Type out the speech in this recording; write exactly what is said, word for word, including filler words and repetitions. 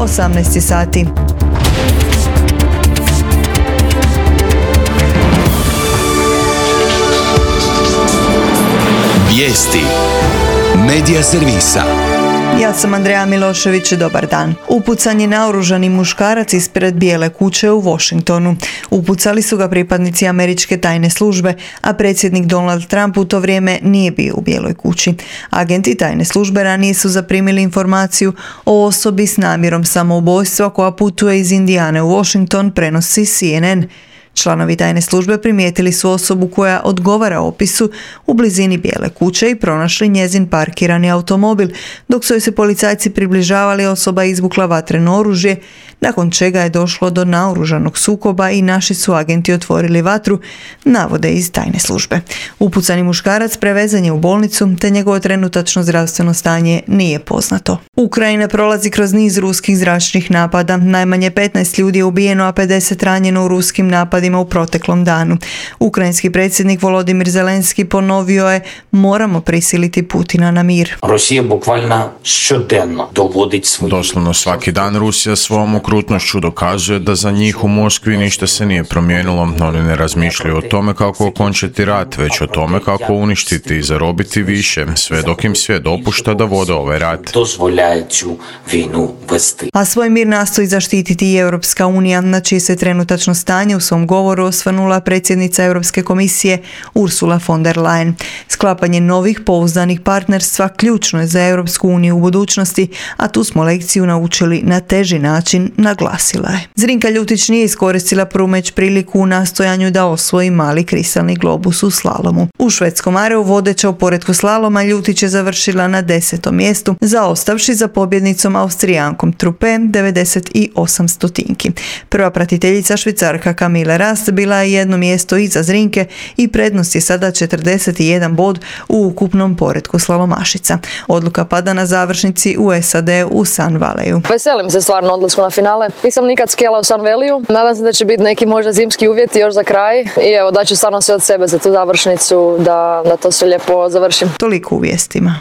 osamnaest sati. Vijesti Medija servisa. Ja sam Andreja Milošević, dobar dan. Upucan je naoružani muškarac ispred Bijele kuće u Washingtonu. Upucali su ga pripadnici američke tajne službe, a predsjednik Donald Trump u to vrijeme nije bio u Bijeloj kući. Agenti tajne službe ranije su zaprimili informaciju o osobi s namjerom samoubojstva koja putuje iz Indijane u Washington, prenosi C N N. Članovi tajne službe primijetili su osobu koja odgovara opisu u blizini Bijele kuće i pronašli njezin parkirani automobil. Dok su joj se policajci približavali, osoba je izvukla vatreno oružje, nakon čega je došlo do naoružanog sukoba i naši su agenti otvorili vatru, navode iz tajne službe. Upucani muškarac prevezan je u bolnicu, te njegovo trenutačno zdravstveno stanje nije poznato. Ukrajina prolazi kroz niz ruskih zračnih napada. Najmanje petnaest ljudi je ubijeno, a pedeset ranjeno u ruskim napadima u proteklom danu. Ukrajinski predsjednik Volodimir Zelenski ponovio je: moramo prisiliti Putina na mir. Rosija bukvalno щоденно dovodit svoj... Doslovno svaki dan Rusija svom okrutnošću dokazuje da za njih u Moskvi ništa se nije promijenilo. Oni ne razmišljaju o tome kako okončati rat, već o tome kako uništiti i zarobiti više, sve dok im svijet dopušta da vode ovaj rat. A svoj mir nastoji zaštititi i Europska unija, na čije se trenutačno stanje u svom govoru osvrnula predsjednica Europske komisije Ursula von der Leyen. Sklapanje novih pouzdanih partnerstva ključno je za Europsku uniju u budućnosti, a tu smo lekciju naučili na teži način, naglasila je. Zrinka Ljutić nije iskoristila prvu među priliku u nastojanju da osvoji mali kristalni globus u slalomu. U švedskom areu vodeća u poretku slaloma Ljutić je završila na desetom mjestu, zaostavši za pobjednicom Austrijankom Trupe devedeset osam stotinki. Prva pratiteljica Švicarka Camille Rast bila je jedno mjesto iza Zrinke i prednost je sada četrdeset jedan bod u ukupnom poretku slalomašica. Odluka pada na završnici u S A D u Sun Valley. Veselim se stvarno odlasku na finale. Nisam nikad skijala u Sun Valley. Nadam se da će biti neki možda zimski uvjeti još za kraj i evo daću stvarno sve od sebe za tu završnicu da, da to sve lijepo završim. Toliko u vijestima.